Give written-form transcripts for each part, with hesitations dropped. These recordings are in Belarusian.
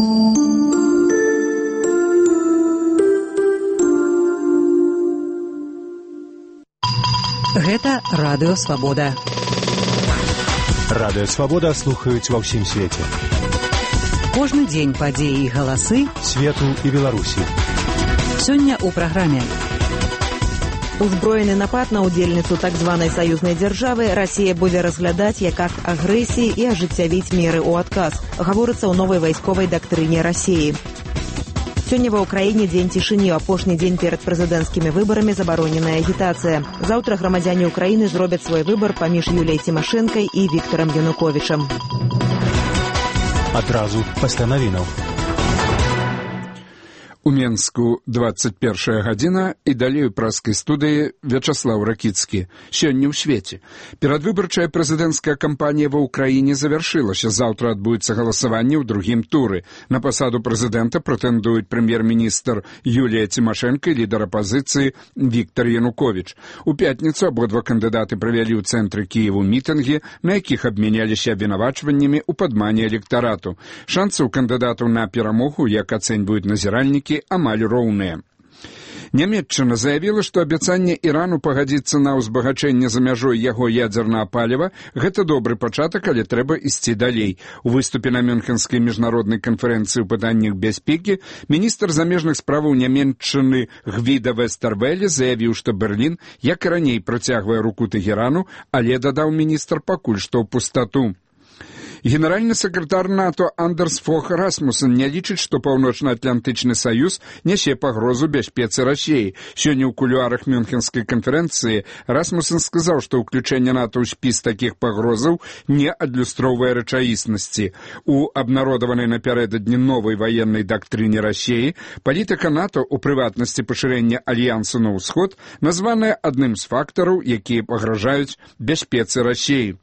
Гэта Радыё Свабода. Радыё Свабода слухаюць ва ўсім свеце. Кожны дзень падзеі і галасы свету і Беларусі. Сёння ў праграме. Узброены напад на удзельніцу так званай саюзнай дзяржавы Расія будзе разглядаць як акт агрэсіі і ажыццявіць меры ў адказ. Гаворыцца ў новай вайсковай дактрыне Расіі. Сёння ва ўкраіне дзень цішыні, апошні дзень перад прэзідэнцкімі выбарамі забароненая агітацыя. Заўтра грамадзяне ўкраіны зробяць свой выбар паміж Юліяй Цімашэнкай і Віктарам Януковічам. Адразу пасля навінаў. У Менску 21 гадзіна і далей у праскай студыі Вячаслаў Ракіцкі. Сёння ў свеце. Перадвыбарчая прэзідэнцкая кампанія ва ўкраіне завяршылася. Заўтра адбудзецца галасаванне ў другім туры. На пасаду прэзідэнта прэтэндуюць прэм'ер-міністр Юлія Цімашэнка і лідар апазіцыі Віктар Януковіч. У пятніцу абодва кандыдаты правялі ў цэнтры Кіеву мітынгі, на якіх абмяняліся абвінавачваннямі ў падмане электарату. Шансы ў кандыдатаў на перамогу, як ацэньваюць назіральнікі, амаль роўныя. Нямецчына заявіла, што абяцанне Ірану пагадзіцца на ўзбагачэнне за мяжой яго ядзернага паліва – гэта добры пачатак, але трэба ісці далей. У выступе на Мюнхенскай міжнароднай канферэнцыі ў пытаннях бяспекі міністр замежных справаў Нямецчыны Гвіда Вестэрвэле заявіў, што Берлін, як і раней, працягвае руку Тэгерану, але, дадаў міністр, пакуль што ў пустату. Генеральны сакратар НАТО Андерс Фох Расмуссен не лічыць, што Паўночна-Атлантычны саюз нясе пагрозу бяспецы Расіі. Сёння ў кулуарах Мюнхенскай канферэнцыі Расмуссен сказаў, што ўключэнне НАТО ў спіс такіх пагрозаў не адлюстроўвае рэчаіснасці. У абнародаванай напярэдадні новай ваеннай дактрыне Расіі палітыка НАТО, у прыватнасці пашырэння альянсу на ўсход, названая адным з фактараў, якія пагражаюць бяспецы Расіі.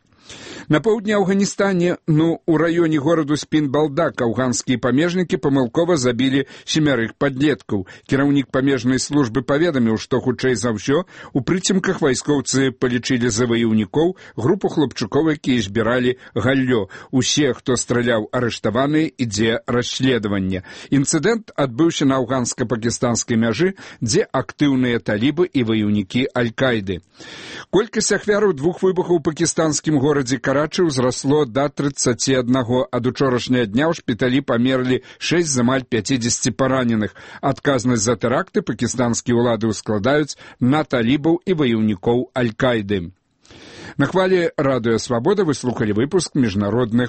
На поўдні Афганістане, у раёне гораду Спін-Балдак, афганскія памежнікі памылкова забілі 7 падлеткаў. Кіраўнік памежнай службы паведаміў, што хутчэй за ўсё у прыцемках вайскоўцы палічылі за ваяўнікоў групу хлопчукоў, якія збіралі галлё. Усе, хто страляў, арыштаваныя, ідзе расследаванне. Інцыдэнт адбыўся на афганска-пакістанскай мяжы, дзе актыўныя талібы і ваяўнікі Аль-Кайды. Колькасць ахвяраў двух выбухаў у пакістанскім горадзе Карачы ўзрасло да 31, ад учорашняга дня ў шпіталі памерлі 6 з амаль 50 параненых. Адказнасць за тэракты пакістанскія ўлады ўскладаюць на талібаў і ваяўнікоў Аль-Кайды. На хвалі Радыё Свабода вы слухалі выпуск міжнародных